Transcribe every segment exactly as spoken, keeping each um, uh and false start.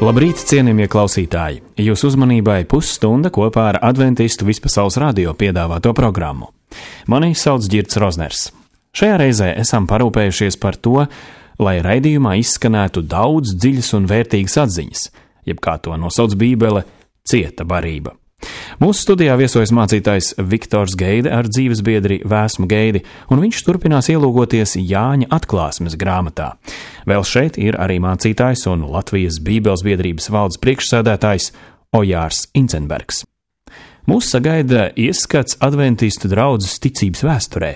Labrīt, cienījamie klausītāji! Jūsu uzmanībai pusstunda kopā ar Adventistu Vispasaules radio piedāvāto programmu. Mani sauc Ģirds Rozners. Šajā reizē esam parūpējušies par to, lai raidījumā izskanētu daudz dziļas un vērtīgas atziņas, jeb kā to nosauc Bībele, cieta barība. Mūsu studijā viesojas mācītājs Viktors Geide ar dzīvesbiedri Vēsmu Geidi, un viņš turpinās ielūgoties Jāņa atklāsmes grāmatā. Vēl šeit ir arī mācītājs un Latvijas Bībeles biedrības valdes priekšsēdētājs Ojārs Incenbergs. Mūs sagaida ieskats adventistu draudzes ticības vēsturē.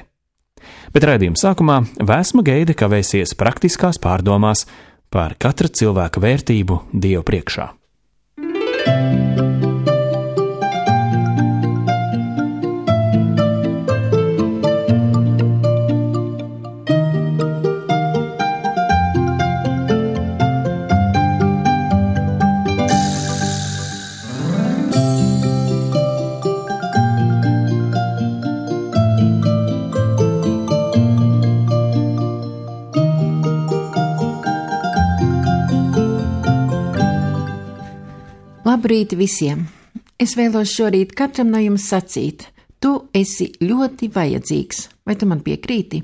Bet raidījuma sākumā Vēsma Geide kavēsies praktiskās pārdomās par katra cilvēka vērtību Dievu priekšā. Labrīt visiem! Es vēlos šorīt katram no jums sacīt, tu esi ļoti vajadzīgs, vai tu man piekrīti?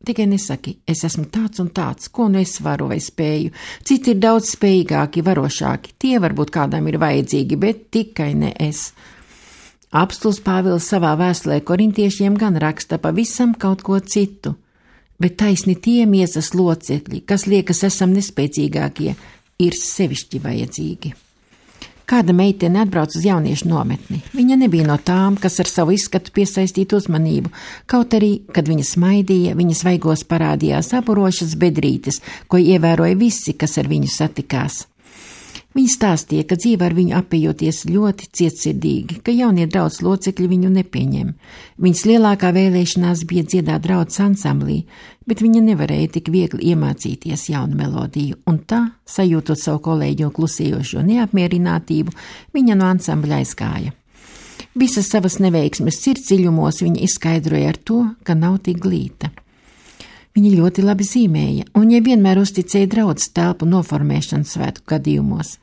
Tikai nesaki, es esmu tāds un tāds, ko nu es varu vai spēju. Citi ir daudz spējīgāki, varošāki, tie varbūt kādam ir vajadzīgi, bet tikai ne es. Apstulis Pāvils savā vēstulē korintiešiem gan raksta pavisam kaut ko citu, bet taisni tie miesas locekļi, kas liekas esam nespēcīgākie, ir sevišķi vajadzīgi. Kāda meitene atbrauc uz jauniešu nometni. Viņa nebija no tām, kas ar savu izskatu piesaistītu uzmanību, kaut arī, kad viņa smaidīja, viņas vaigos parādījās apurošas bedrītes, ko ievēroja visi, kas ar viņu satikās. Viņa stāstīja, ka dzīve ar viņu apējoties ļoti cietsirdīgi, ka jaunie draudzes locekļi viņu nepieņem. Viņas lielākā vēlēšanās bija dziedāt draudzes ansamblī, bet viņa nevarēja tik viegli iemācīties jaunu melodiju, un tā, sajūtot savu kolēģu klusējošo neapmierinātību, viņa no ansambļa aizgāja. Visas savas neveiksmes sirdsdziļumos viņa izskaidroja ar to, ka nav tik glīta. Viņa ļoti labi zīmēja, un viņai vienmēr uzticēja draudzes telpu noformēšanu svētku gadījumos.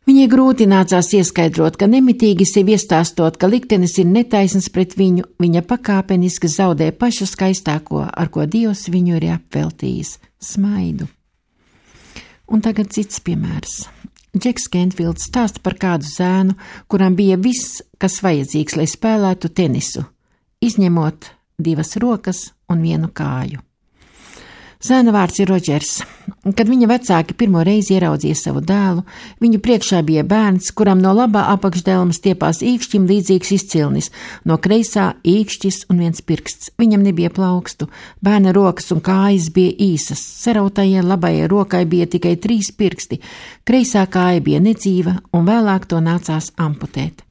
Viņai grūti nācās ieskaidrot, ka nemitīgi sev iestāstot, ka liktenis ir netaisns pret viņu, viņa pakāpeniski zaudē pašu skaistāko, ar ko Dievs viņu ir apveltījis – smaidu. Un tagad cits piemērs. Džeks Kenfields stāsta par kādu zēnu, kuram bija viss, kas vajadzīgs, lai spēlētu tenisu, izņemot divas rokas un vienu kāju. Zēna vārds ir Rodžers. Kad viņa vecāki pirmo reizi ieraudzīja savu dēlu, viņu priekšā bija bērns, kuram no labā apakšdelmas stiepās īkšķim līdzīgs izcilnis, no kreisā īkšķis un viens pirksts. Viņam nebija plaukstu, bērna rokas un kājas bija īsas, sarautajai labajai rokai bija tikai trīs pirksti, kreisā kāja bija nedzīva un vēlāk to nācās amputēt.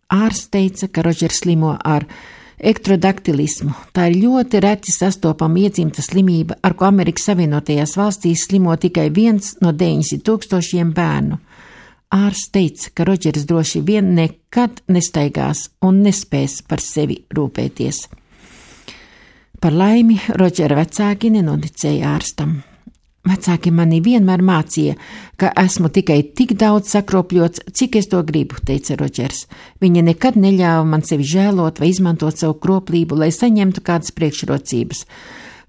Ārsts teica, ka Rodžers slimo ar ektrodaktilismu. Tā ir ļoti reti sastopama iedzimta slimība, ar ko Amerikas Savienotajās valstīs slimo tikai viens no deviņsimt tūkstošiem bērnu. Ārsts teica, ka Rodžers droši vien nekad nestaigās un nespēs par sevi rūpēties. Par laimi Rodžera vecāki nenoticēja ārstam. Vecāki mani vienmēr mācīja, ka esmu tikai tik daudz sakropļots, cik es to gribu, teica Rodžers. Viņa nekad neļāva man sevi žēlot vai izmantot savu kroplību, lai saņemtu kādas priekšrocības.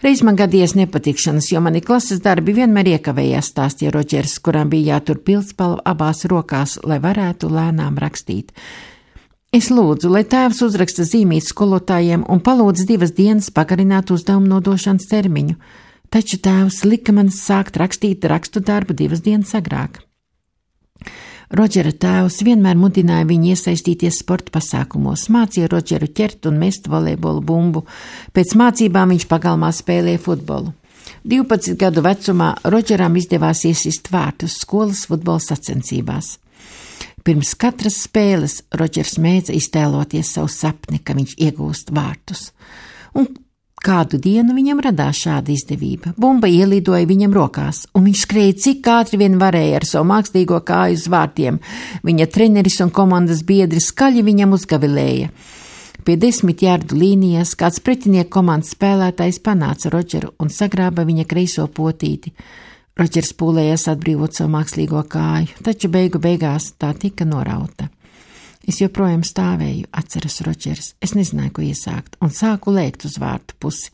Reiz man gadījies nepatikšanas, jo mani klases darbi vienmēr iekavējās, stāstīja Rodžers, kuram bija jātur pildspalva abās rokās, lai varētu lēnām rakstīt. Es lūdzu, lai tēvs uzraksta zīmīt skolotājiem un palūdz divas dienas pagarināt uzdevumu nodošanas termiņu. Taču tēvs lika man sākt rakstīt rakstu darbu divas dienas agrāk. Rodžera tēvs vienmēr mudināja viņu iesaistīties sporta pasākumos, mācīja Rodžeru ķert un mest volejbolu bumbu. Pēc mācībām viņš pagalmā spēlēja futbolu. divpadsmit gadu vecumā Rodžeram izdevās iesist vārtus skolas futbola sacensībās. Pirms katras spēles Rodžers mēdza iztēloties savu sapni, ka viņš iegūst vārtus. Un kādu dienu viņam radās šāda izdevība. Bumba ielidoja viņam rokās, un viņš skrēja cik ātri vien varēja ar savu mākslīgo kāju uz vārtiem. Viņa treneris un komandas biedri skaļi viņam uzgavilēja. Pie desmit jardu līnijas kāds pretinieku komandas spēlētājs panāca Rodžeru un sagrāba viņa kreiso potīti. Rodžers pūlējās atbrīvot savu mākslīgo kāju, taču beigu beigās tā tika norauta. Es joprojām stāvēju, atceras Rodžers. Es nezināju, ko iesākt, un sāku lēkt uz vārtu pusi.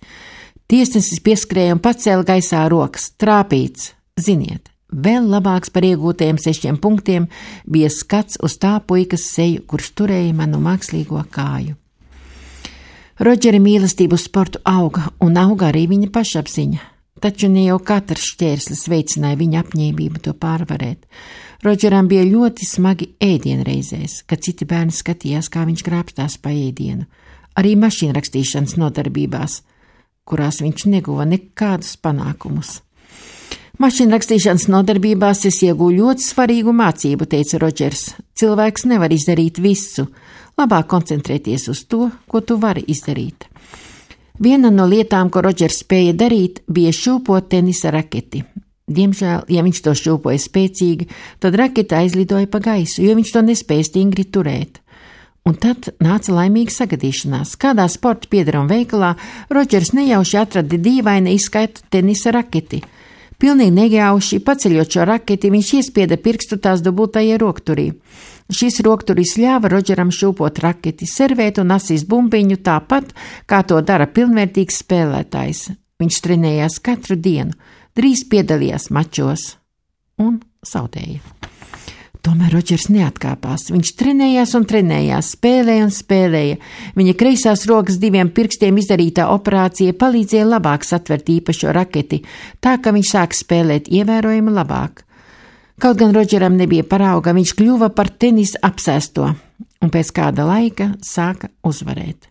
Tiesnesis pieskrēja un pacēla gaisā rokas. Trāpīts. Ziniet, vēl labāks par iegūtajiem sešiem punktiem bija skats uz tā puikas seju, kurš turēja manu mākslīgo kāju. Rodžera mīlestību uz sportu auga, un auga arī viņa pašapziņa. Taču ne jau katrs šķērslis veicināja viņa apņēmību to pārvarēt. Rodžeram bija ļoti smagi ēdienreizēs, kad citi bērni skatījās, kā viņš grābstās pa ēdienu. Arī mašīnrakstīšanas nodarbībās, kurās viņš neguva nekādus panākumus. Mašīnrakstīšanas nodarbībās es iegūju ļoti svarīgu mācību, teica Rodžers. Cilvēks nevar izdarīt visu. Labāk koncentrēties uz to, ko tu vari izdarīt. Viena no lietām, ko Rodžers spēja darīt, bija šūpot tenisa raketi. Diemžēl, ja viņš to šūpoja spēcīgi, tad raketa aizlidoja pa gaisu, jo viņš to nespēja stingri turēt. Un tad nāca laimīga sagadīšanās. Kādā sporta piedaruma veikalā Rodžers nejauši atrada dīvaina izskaitu tenisa raketi. Pilnīgi nejauši, paceļot šo raketi, viņš iespieda pirkstu tās dubultajā rokturī. Šis rokturis ļāva Rodžeram šūpot raketi, servēt un asīs bumbiņu tāpat, kā to dara pilnvērtīgs spēlētājs. Viņš trenējās katru dienu, drīz piedalījās mačos un zaudēja. Tomēr Rodžers neatkāpās. Viņš trenējās un trenējās, spēlēja un spēlēja. Viņa kreisās rokas diviem pirkstiem izdarītā operācija palīdzēja labāk satvert īpašo raketi, tā ka viņš sāka spēlēt ievērojami labāk. Kaut gan Rodžeram nebija parauga, viņš kļuva par tenisa apsēsto un pēc kāda laika sāka uzvarēt.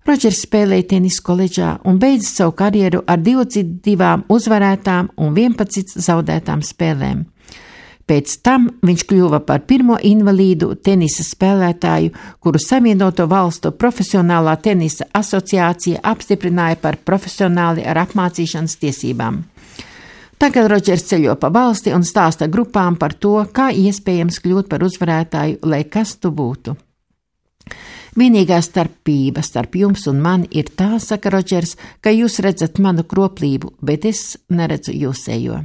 Rodžers spēlēja tenisu koledžā un beidza savu karjeru ar divdesmit divām uzvarētām un vienpadsmit zaudētām spēlēm. Pēc tam viņš kļuva par pirmo invalīdu tenisa spēlētāju, kuru Savienoto Valstu profesionālā tenisa asociācija apstiprināja par profesionāli ar apmācīšanas tiesībām. Tagad Rodžers ceļo pa valsti un stāsta grupām par to, kā iespējams kļūt par uzvarētāju, lai kas tu būtu. Vienīgā starpība starp jums un mani ir tā, saka Rodžers, ka jūs redzat manu kroplību, bet es neredzu jūsējo.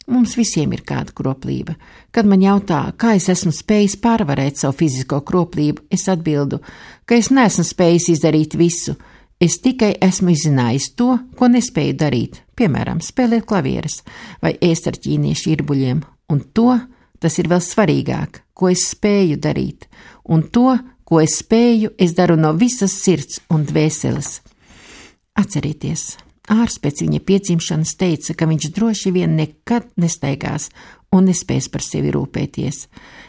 Mums visiem ir kāda kroplība. Kad man jautā, kā es esmu spējis pārvarēt savu fizisko kroplību, es atbildu, ka es neesmu spējis izdarīt visu. Es tikai esmu izzinājis to, ko nespēju darīt, piemēram, spēlēt klavieres vai ēst ar ķīniešu irbuļiem. Un to, tas ir vēl svarīgāk, ko es spēju darīt. Un to, ko es spēju, es daru no visas sirds un dvēseles. Atcerieties! Ārsts pēc viņa piedzimšanas teica, ka viņš droši vien nekad nestaigās un nespēs par sevi rūpēties,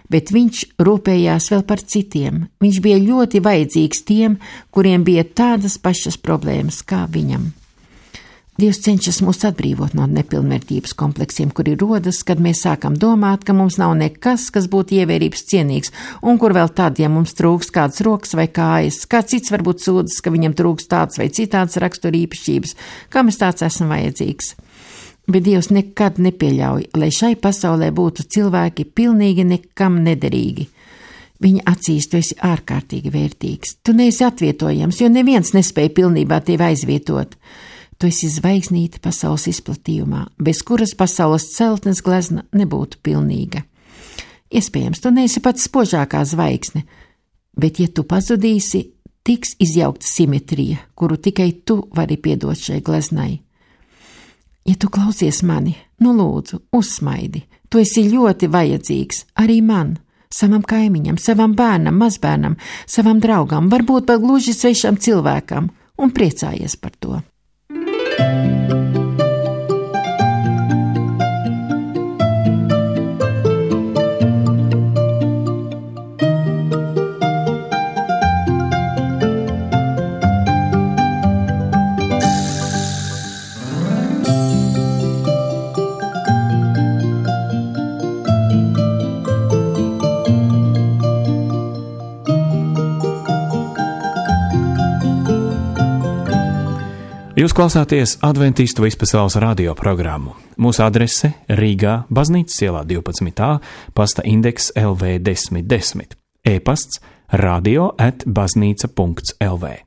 bet viņš rūpējās vēl par citiem. Viņš bija ļoti vajadzīgs tiem, kuriem bija tādas pašas problēmas kā viņam. Dievs cenšas mūs atbrīvot no nepilnvērtības kompleksiem, kuri rodas, kad mēs sākam domāt, ka mums nav nekas, kas būtu ievērības cienīgs, un kur vēl tad, ja mums trūks kādas rokas vai kājas, kāds cits varbūt sūdzas, ka viņam trūks tāds vai citāds rakstura īpašības, kā mēs tāds esam vajadzīgs. Bet Dievs nekad nepieļauj, lai šai pasaulē būtu cilvēki pilnīgi nekam nederīgi. Viņa acīs tu esi ārkārtīgi vērtīgs. Tu neesi atvietojams, jo neviens nespēja pilnībā tevi aizvietot. Tu esi zvaigznīte pasaules izplatījumā, bez kuras pasaules celtnes glezna nebūtu pilnīga. Iespējams, tu neesi pats spožākā zvaigzne, bet ja tu pazudīsi, tiks izjaukta simetrija, kuru tikai tu vari piedot šai gleznai. Ja tu klausies mani, nu lūdzu, uzsmaidi, tu esi ļoti vajadzīgs, arī man, savam kaimiņam, savam bērnam, mazbērnam, savam draugam, varbūt pat gluži svešam cilvēkam, un priecājies par to. Jūs klausāties Adventistu vispasaules radio programmu. Mūsu adrese Rīgā, Baznīcas ielā divpadsmit A, pasta indeks L V desmit desmit, e-pasts radio at baznīca punkts L V.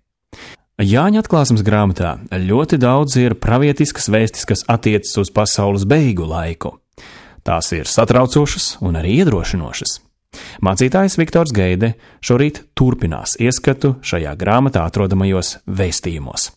Jāņa atklāsmes grāmatā ļoti daudz ir pravietiskas vēstis, kas attiecas uz pasaules beigu laiku. Tās ir satraucošas un arī iedrošinošas. Mācītājs Viktors Geide šorīt turpinās ieskatu šajā grāmatā atrodamajos vēstījumos.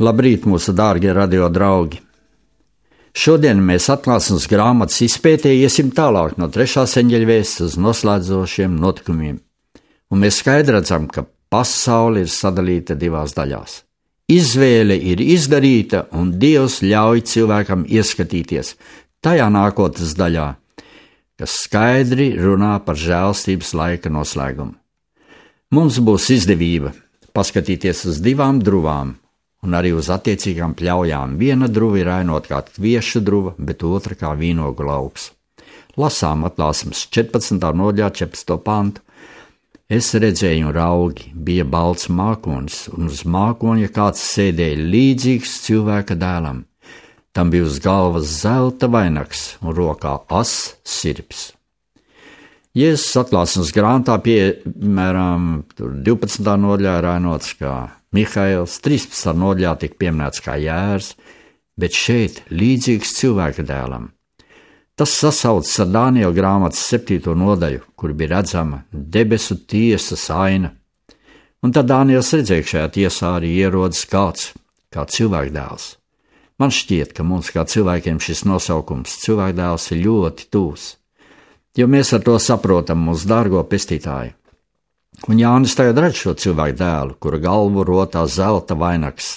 Labrīt, mūsu dārgie radio draugi! Šodien mēs atklāsmes grāmatas izpētē iesim tālāk no trešās eņģeļa vēstes uz noslēdzošiem notikumiem, un mēs skaidri redzam, ka pasaule ir sadalīta divās daļās. Izvēle ir izdarīta, un Dievs ļauj cilvēkam ieskatīties tajā nākotnes daļā, kas skaidri runā par žēlstības laika noslēgumu. Mums būs izdevība paskatīties uz divām druvām, un arī uz attiecīgām pļaujām. Viena druva ir ainot kā kviešu druva, bet otra kā vīnogu lauks. Lasām atklāsmes četrpadsmitā nodaļā četrpadsmito pantu. Es redzēju un raugi, bija balts mākonis, un uz mākoņa kāds sēdēja līdzīgs cilvēka dēlam. Tam bija uz galvas zelta vainags un rokā ass sirps. Jēzus atklāsmes grāmatā, piemēram, divpadsmitā nodaļā ir ainots kā Mihails, trīspadsmitā nodaļā tiek pieminēts kā Jērs, bet šeit līdzīgs cilvēka dēlam. Tas sasaucas ar Dāniela grāmatas septīto nodaļu, kur bija redzama debesu tiesas aina. Un tad Dāniels redzēja, šajā tiesā arī ierodas kāds, kā cilvēka dēls. Man šķiet, ka mums kā cilvēkiem šis nosaukums cilvēka dēls ir ļoti tūs, jo mēs ar to saprotam mūsu dārgo pestītāju. Un Jānis tagad redz šo cilvēku dēlu, kura galvu rotā zelta vainags,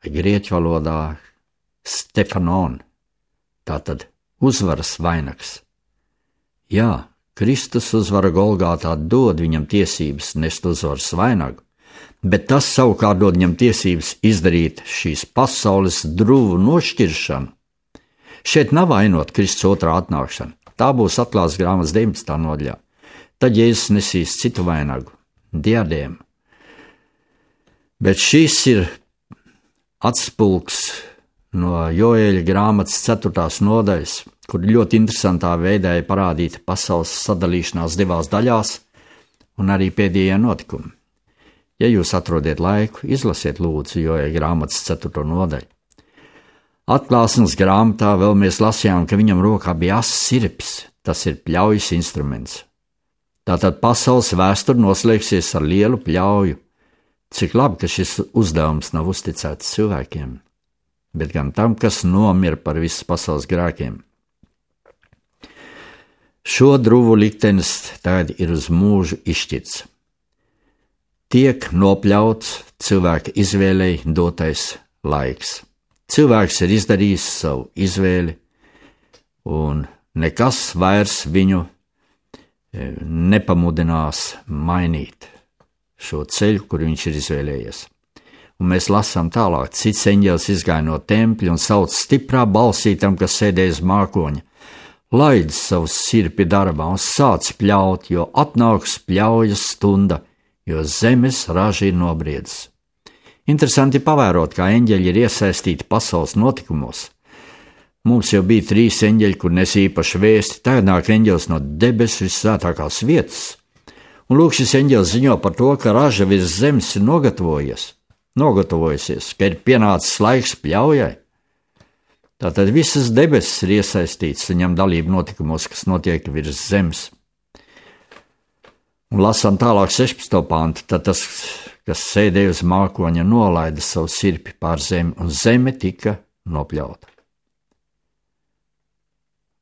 vai grieķu valodā Stefanon, tātad uzvaras vainags. Jā, Kristus uzvara Golgātā dod viņam tiesības nest uzvaras vainagu, bet tas savukārt dod viņam tiesības izdarīt šīs pasaules druvu nošķiršanu. Šeit nav ainot Kristus otrā atnākšana, tā būs atklāsmes grāmatas deviņpadsmitā nodaļā. Tad Jēzus nesīs citu vainagu, diadēmu. Bet šis ir atspulgs no Joēļa grāmatas ceturtās nodaļas, kur ļoti interesantā veidā ir parādīta pasaules sadalīšanās divās daļās un arī pēdējie notikumi. Ja jūs atrodiet laiku, izlasiet lūdzu Joēļa grāmatas ceturto nodaļu. Atklāsmes grāmatā vēl mēs lasījām, ka viņam rokā bija ass sirps, tas ir pļaujas instruments. Tātad pasaules vēsture noslēgsies ar lielu pļauju. Cik labi, ka šis uzdevums nav uzticēts cilvēkiem, bet gan tam, kas nomira par visas pasaules grēkiem. Šo druvu liktenis tagad ir uz mūžu izšķirts. Tiek nopļauts cilvēka izvēlei dotais laiks. Cilvēks ir izdarījis savu izvēli, un nekas vairs viņu nepamudinās mainīt šo ceļu, kur viņš ir izvēlējies. Un mēs lasām tālāk, cits eņģelis izgāja no tempļa un sauc stiprā balsī tam, kas sēdēja uz mākoņa. Laid savu sirpi darbā un sāc pļaut, jo atnāks pļaujas stunda, jo zemes raža ir nobriedzis. Interesanti pavērot, kā eņģeļi ir iesaistīti pasaules notikumos. Mums jau bija trīs eņģeļi, kur nes īpašu vēsti, tagad nāk eņģelis no debesu visvētākās vietas. Un lūk, šis eņģelis ziņo par to, ka raža virs zemes ir nogatavojies, nogatavojusies, ka ir pienācis laiks pļaujai. Tātad visas debesis ir iesaistīts un ņem dalību notikumos, kas notiek virs zemes. Un lasām tālāk sešpadsmito pantu, tad tas kas sēdēja uz mākoņa, nolaida savu sirpi pār zemi, un zeme tika nopļauta.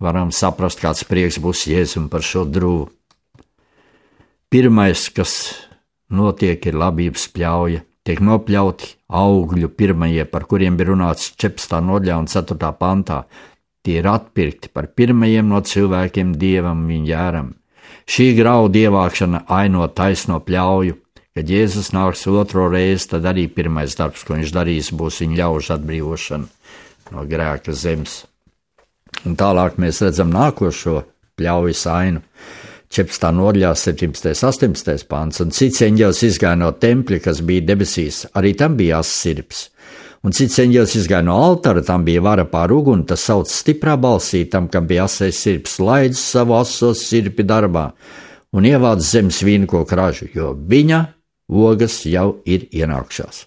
Varam saprast, kāds prieks būs Jēzum par šo drūvu. Pirmais, kas notiek, ir labības pļauja. Tiek nopļauti augļu pirmajie, par kuriem bija runāts četrpadsmitā nodaļā un ceturtajā pantā. Tie ir atpirkti par pirmajiem no cilvēkiem dievam viņa jēram. Šī graudu ievākšana aino taisno pļauju. Kad Jēzus nāks otro reizi, tad arī pirmais darbs, ko viņš darīs, būs viņa ļaužu atbrīvošana no grēka zemes. Un tālāk mēs redzam nākošo pļaujas ainu. četrpadsmitā nodaļā, septiņpadsmitais, astoņpadsmitais pants, un cits eņģelis izgāja no tempļa, kas bija debesīs, arī tam bija asas sirps. Un cits eņģelis izgāja no altāra, tam bija vara pār uguni, tas sauc stiprā balsī, tam, kam bija asais sirps, laidz savu asos sirpi darbā un ievāc zemes vīnkoku ražu, jo viņa ogas jau ir ienākšās.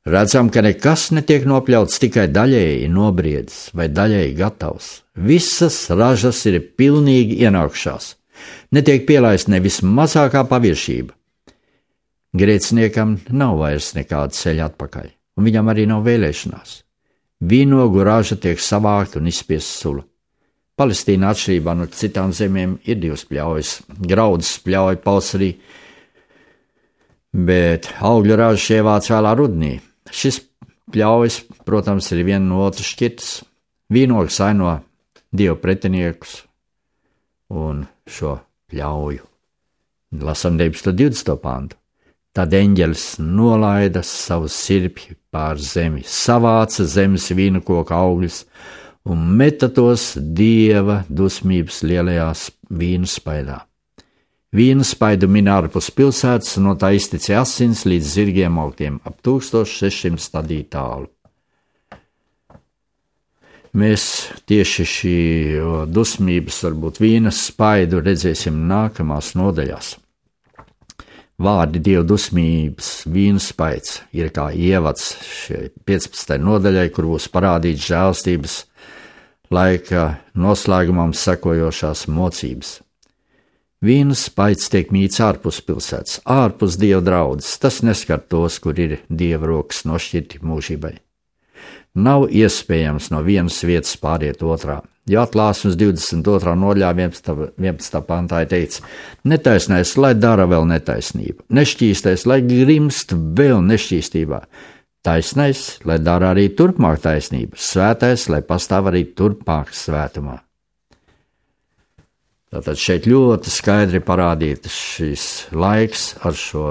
Redzam, ka nekas netiek nopļauts, tikai daļēji nobriedis vai daļēji gatavs. Visas ražas ir pilnīgi ienākšās. Netiek pielaist nevis mazākā paviršība. Grēciniekam nav vairs nekāda ceļa atpakaļ, un viņam arī nav vēlēšanās. Vīnogu raža tiek savākta un izspiesta sula. Palestīna atšķirībā no citām zemēm ir divas pļaujas. Graudus pļauja pavasarī, bet augļu raža ievāc vēlā rudenī. Šis pļaujas, protams, ir viena no otras šķirtas. Vīnogs aino dievu pretiniekus un šo pļauju. Lasam deviņpadsmito divdesmito pantu. Tad eņģelis nolaida savu sirpi pār zemi, savāca zemes vīnokoka augļus un meta tos dieva dusmības lielajās vīnu spaidā. Vīnu spaidu min ārpus pilsētas, no tā iztecēja asins līdz zirgiem augtiem, ap tūkstoš sešsimt stadiju tālu. Mēs tieši šī dusmības, varbūt vīnas spaidu redzēsim nākamās nodaļās. Vārdi dievu dusmības vīnu spaids ir kā ievads šai piecpadsmitajai nodaļai, kur būs parādīts žēlstības laika noslēgumam sekojošās mocības. Vīnu spaids tiek mīts ārpus pilsētas, ārpus dieva draudzes. Tas neskar tos, kur ir dieva rokas nošķirti mūžībai. Nav iespējams no vienas vietas pāriet otrā. Jo Atklāsmes divdesmit otrā nodaļā vienpadsmitā pantā ir teikts: netaisnais, lai dara vēl netaisnību, nešķīstais, lai grimst vēl nešķīstībā, taisnais, lai dara arī turpmāk taisnību, svētais, lai pastāv arī turpmāk svētumā. Tātad šeit ļoti skaidri parādīts šis laiks ar šo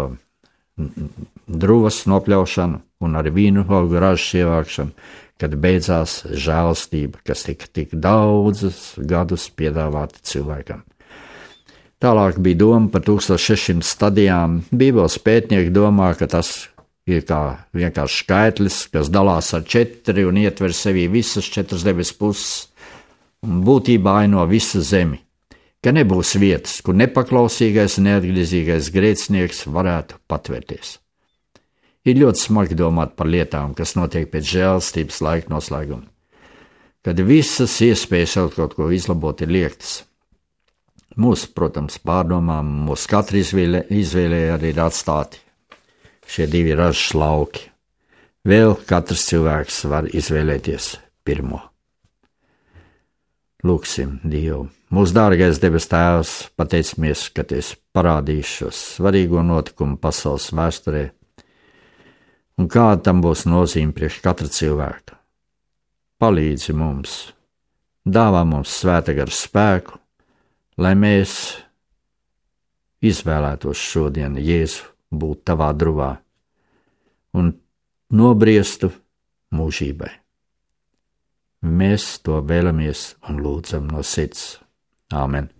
druvas nopļaušanu un ar vīnu augu ražas ievākšanu, kad beidzās žēlastība, kas tika tik daudzus gadus piedāvāta cilvēkam. Tālāk bija doma par tūkstoš sešsimt stadijām. Bībeles pētnieki domā, ka tas ir kā vienkārši skaitlis, kas dalās ar četri un ietver sevī visas četras debesu puses un būtībā aino visu zemi. Ka nebūs vietas, kur nepaklausīgais un neatgriezīgais grēcinieks varētu patvērties. Ir ļoti smagi domāt par lietām, kas notiek pēc žēlastības laika noslēguma, kad visas iespējas kaut ko izlabot ir liektas. Mūsu, protams, pārdomām, mūsu katra izvēlē, izvēlē arī ir atstāti šie divi ražas lauki. Vēl katrs cilvēks var izvēlēties pirmo. Lūksim Dievu. Mūsu dārgais debes Tēvs, pateicamies, ka tu esi parādījis šo svarīgo notikumu pasaules vēsturē, un kāda tam būs nozīme priekš katra cilvēka. Palīdzi mums, dāvā mums svēta gara spēku, lai mēs izvēlētos šodien Jēzu būt tavā druvā un nobriestu mūžībai. Mēs to vēlamies un lūdzam no sirds. Āmen.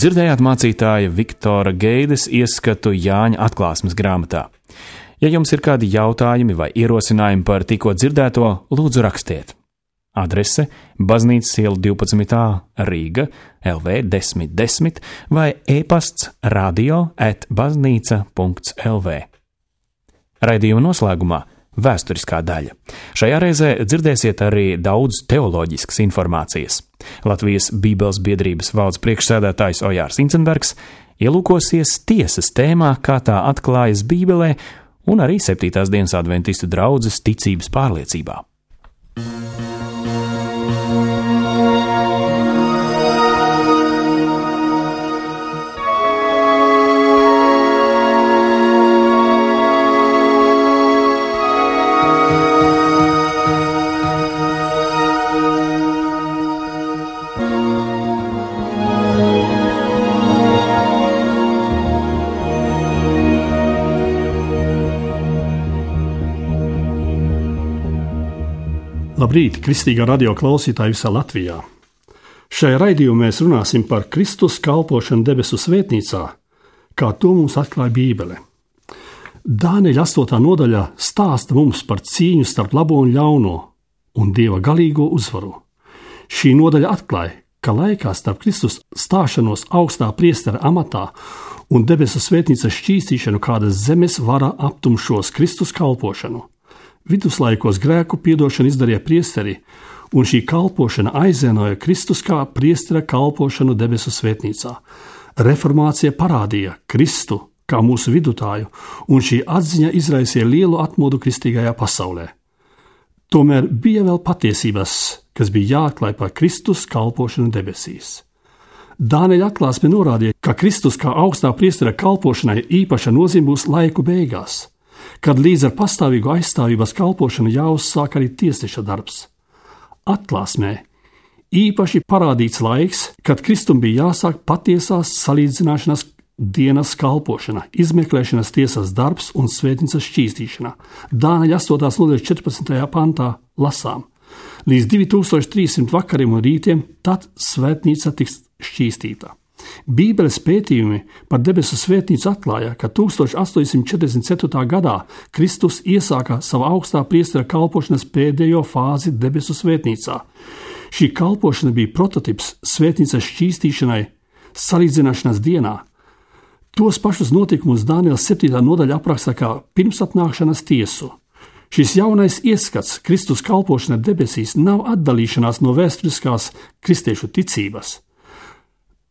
Dzirdējāt mācītāja Viktora Geides ieskatu Jāņa atklāsmes grāmatā. Ja jums ir kādi jautājumi vai ierosinājumi par tikko dzirdēto, lūdzu rakstiet. Adrese Baznīcas iela divpadsmit A Rīga L V desmit desmit vai e-pasts radio at baznīca punkts L V. Raidījuma noslēgumā vēsturiskā daļa. Šajā reizē dzirdēsiet arī daudz teoloģiskas informācijas. Latvijas Bībeles biedrības valdes priekšsēdētājs Ojārs Incenbergs ielūkosies tiesas tēmā, kā tā atklājas Bībelē, un arī septītās dienas adventistu draudzes ticības pārliecībā. Labrīt, kristīgā radio klausītāji visā Latvijā! Šajā raidījumā mēs runāsim par Kristus kalpošanu debesu svētnīcā, kā to mums atklāja Bībele. Dānieļa astotā nodaļā stāsta mums par cīņu starp labo un ļauno un Dieva galīgo uzvaru. Šī nodaļa atklāja, ka laikā starp Kristus stāšanos augstā priestera amatā un debesu svētnīcas šķīstīšanu kādas zemes vara aptumšos Kristus kalpošanu. Viduslaikos grēku piedošanu izdarīja priesteri, un šī kalpošana aizvienoja Kristus kā priestera kalpošanu debesu svētnīcā. Reformācija parādīja Kristu kā mūsu vidutāju, un šī atziņa izraisīja lielu atmodu kristīgajā pasaulē. Tomēr bija vēl patiesības, kas bija jāatklāj par Kristus kalpošanu debesīs. Dānieļa atklāsme norādīja, ka Kristus kā augstā priestera kalpošanai īpaša nozīme būs laiku beigās, kad līdz ar pastāvīgu aizstāvības kalpošanu jāuzsāk arī tiesneša darbs. Atklāsmē īpaši parādīts laiks, kad Kristum bija jāsāk patiesās salīdzināšanas dienas kalpošana, izmeklēšanas tiesas darbs un svētnīcas šķīstīšana. Dānieļa astotās nodaļas četrpadsmitajā pantā lasām: līdz divi tūkstoši trīssimti vakariem un rītiem, tad svētnīca tiks šķīstīta. Bībeles pētījumi par debesu svētnīcu atklāja, ka tūkstoš astoņsimt četrdesmit ceturtajā gadā Kristus iesāka savu augstā priestera kalpošanas pēdējo fāzi debesu svētnīcā. Šī kalpošana bija prototips svētnīcas šķīstīšanai salīdzināšanas dienā. Tos pašus notikumus Dāniela septītā nodaļa apraksta kā pirmsatnākšanas tiesu. Šis jaunais ieskats Kristus kalpošana debesīs nav atdalīšanās no vēsturiskās kristiešu ticības.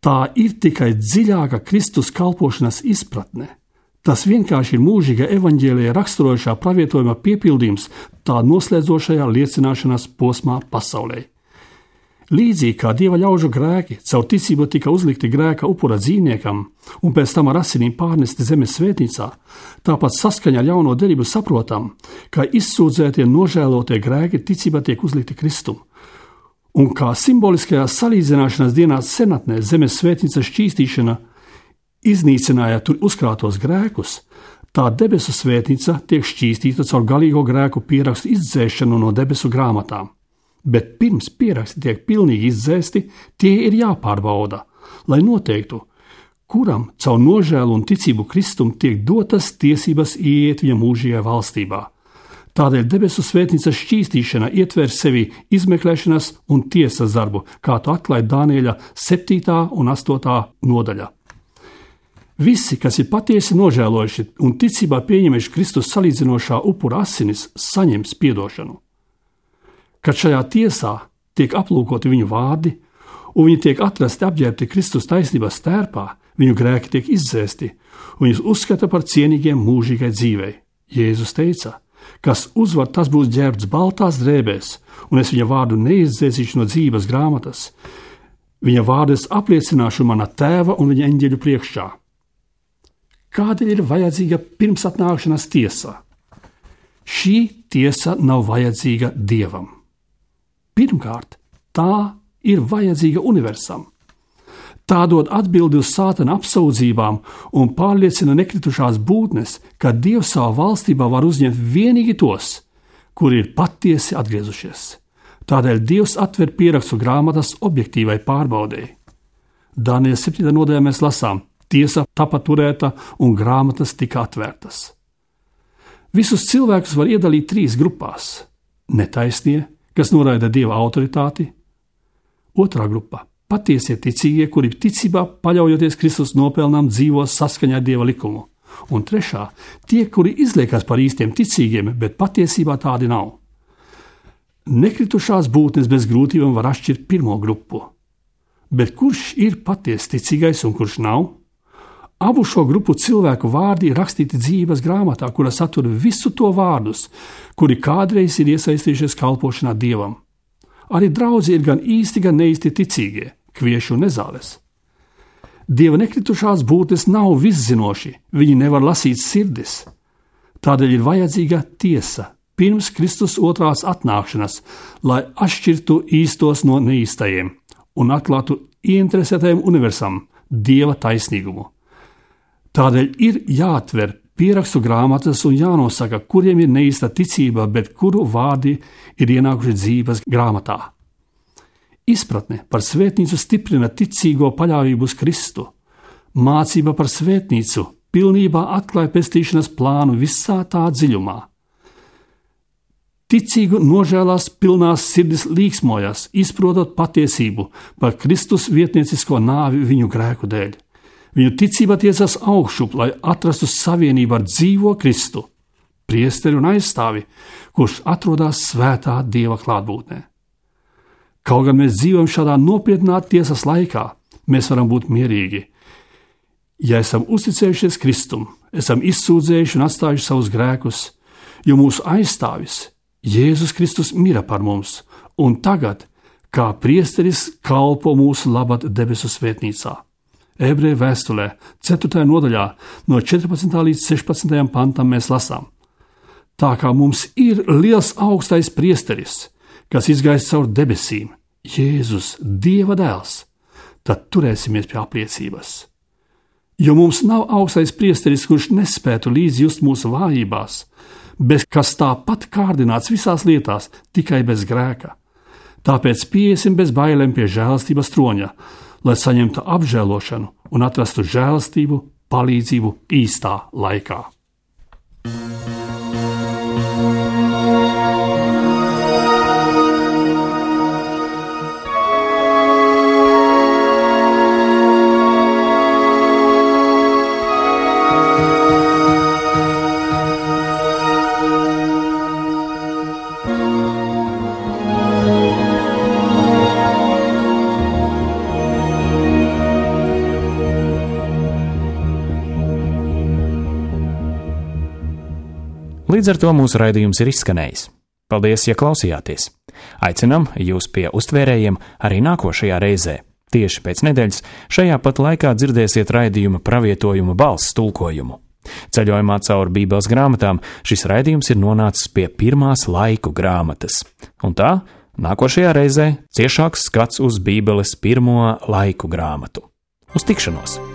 Tā ir tikai dziļāka Kristus kalpošanas izpratne. Tas vienkārši ir mūžīga evaņģēlijā raksturojošā pravietojuma piepildījums tā noslēdzošajā liecināšanas posmā pasaulē. Līdzīgi kā dieva ļaužu grēki caur ticību tika uzlikti grēka upura dzīvniekam un pēc tam ar asinīm pārnesti zemes svētnīcā, tāpat saskaņā ar jauno derību saprotam, ka izsūdzētie nožēlotie grēki ticībā tiek uzlikti Kristum. Un kā simboliskajā salīdzināšanas dienā senatnē zemes svētnīcas šķīstīšana iznīcināja tur uzkrātos grēkus, tā debesu svētnīca tiek šķīstīta caur galīgo grēku pierakstu izdzēšanu no debesu grāmatām. Bet pirms pieraksti tiek pilnīgi izdzēsti, tie ir jāpārbauda, lai noteiktu, kuram caur nožēlu un ticību Kristum tiek dotas tiesības ieiet viņa mūžīgajā valstībā. Tādēļ debesu svētnīcas šķīstīšana ietver sevi izmeklēšanas un tiesas darbu, kā to atklāja Dānieļa septītā un astotā nodaļa. Visi, kas ir patiesi nožēlojuši un ticībā pieņemuši Kristus salīdzinošā upura asinis, saņems piedošanu. Kad šajā tiesā tiek aplūkoti viņu vārdi, un viņi tiek atrasti apģērbti Kristus taisnības tērpā, viņu grēki tiek izdzēsti, un viņus uzskata par cienīgiem mūžīgai dzīvei. Jēzus teica: kas uzvar, tas būs ģērbts baltās drēbēs, un es viņa vārdu neizdzēsīšu no dzīves grāmatas. Viņa vārdu es apliecināšu mana tēva un viņa eņģeļu priekšā. Kādēļ ir vajadzīga pirmsatnākšanas tiesa? Šī tiesa nav vajadzīga Dievam. Pirmkārt, tā ir vajadzīga universam. Tā dod atbildi uz sātana apsūdzībām un pārliecina nekritušās būtnes, ka Dievs savā valstībā var uzņemt vienīgi tos, kuri ir patiesi atgriezušies. Tādēļ Dievs atver pierakstu grāmatas objektīvai pārbaudēji. Daniela septītajā nodaļā mēs lasām: tiesa tapa turēta un grāmatas tika atvērtas. Visus cilvēkus var iedalīt trīs grupās: netaisnie, kas noraida Dieva autoritāti; otrā grupa – patiesie ticīgie, kuri ticībā paļaujoties Kristus nopelnām dzīvo saskaņā ar Dieva likumu; un trešā – tie, kuri izliekas par īstiem ticīgiem, bet patiesībā tādi nav. Nekritušās būtnes bez grūtībām var atšķirt pirmo grupu. Bet kurš ir patiesi ticīgais un kurš nav? Abu šo grupu cilvēku vārdi ir rakstīti dzīves grāmatā, kura satur visu to vārdus, kuri kādreiz ir iesaistījušies kalpošanā Dievam. Arī draudzi ir gan īsti, gan neīsti ticīgie, kvieši un nezāles. Dieva nekritušās būtnes nav viszinoši, viņi nevar lasīt sirdis. Tādēļ ir vajadzīga tiesa pirms Kristus otrās atnākšanas, lai atšķirtu īstos no neīstajiem un atklātu ieinteresētajiem universam Dieva taisnīgumu. Tādēļ ir jāatver pierakstu grāmatas un jānosaka, kuriem ir neīsta ticība, bet kuru vārdi ir ienākuši dzīves grāmatā. Izpratne par svētnīcu stiprina ticīgo paļāvību uz Kristu. Mācība par svētnīcu pilnībā atklāja pestīšanas plānu visā tā dziļumā. Ticīgu nožēlās pilnās sirdis līksmojas, izprotot patiesību par Kristus vietniecisko nāvi viņu grēku dēļ. Viņu ticība tiecas augšup, lai atrastu savienību ar dzīvo Kristu, priesteri un aizstāvi, kurš atrodas svētā Dieva klātbūtnē. Kaut gan mēs dzīvojam šādā nopietnā tiesas laikā, mēs varam būt mierīgi. Ja esam uzticējušies Kristum, esam izsūdzējuši un atstājuši savus grēkus, jo mūsu aizstāvis Jēzus Kristus mira par mums, un tagad, kā priesteris, kalpo mūsu labad debesu svētnīcā. Ebreju vēstulē, ceturtajā nodaļā, no četrpadsmitā līdz sešpadsmitajam pantam mēs lasām: tā kā mums ir liels augstais priesteris, kas izgājis caur debesīm, Jēzus, Dieva dēls, tad turēsimies pie apliecības. Jo mums nav augstais priesteris, kurš nespētu līdz just mūsu vājībās, bet kas tāpat kārdināts visās lietās, tikai bez grēka. Tāpēc pieiesim bez bailēm pie žēlastības troņa, lai saņemtu apžēlošanu un atrastu žēlastību, palīdzību īstā laikā. Līdz ar to mūsu raidījums ir izskanējis. Paldies, ja klausījāties! Aicinam jūs pie uztvērējiem arī nākošajā reizē. Tieši pēc nedēļas šajā pat laikā dzirdēsiet raidījuma pravietojuma balss tulkojumu. Ceļojumā cauri Bībeles grāmatām šis raidījums ir nonācis pie pirmās laiku grāmatas. Un tā, nākošajā reizē ciešāks skats uz Bībeles pirmo laiku grāmatu. Uz tikšanos!